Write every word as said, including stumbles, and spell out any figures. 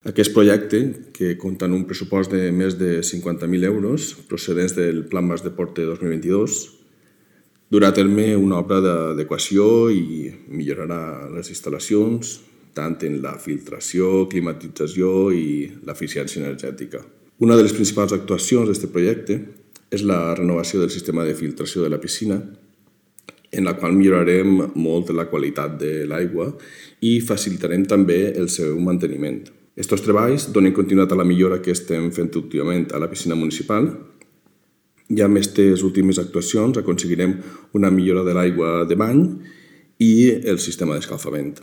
Aquest projecte, que compta amb un pressupost de més de cinquanta mil euros procedents del Plan Mas Deporte dos mil vint-i-dos, durà a terme una obra d'adequació i millorarà les instal·lacions, tant en la filtració, climatització i l'eficiència energètica. Una de les principals actuacions d'aquest projecte és la renovació del sistema de filtració de la piscina, en la qual millorarem molt la qualitat de l'aigua i facilitarem també el seu manteniment. Aquests treballs donen continuïtat a la millora que estem fent últimament a la piscina municipal i amb aquestes últimes actuacions aconseguirem una millora de l'aigua de bany i el sistema d'escalfament.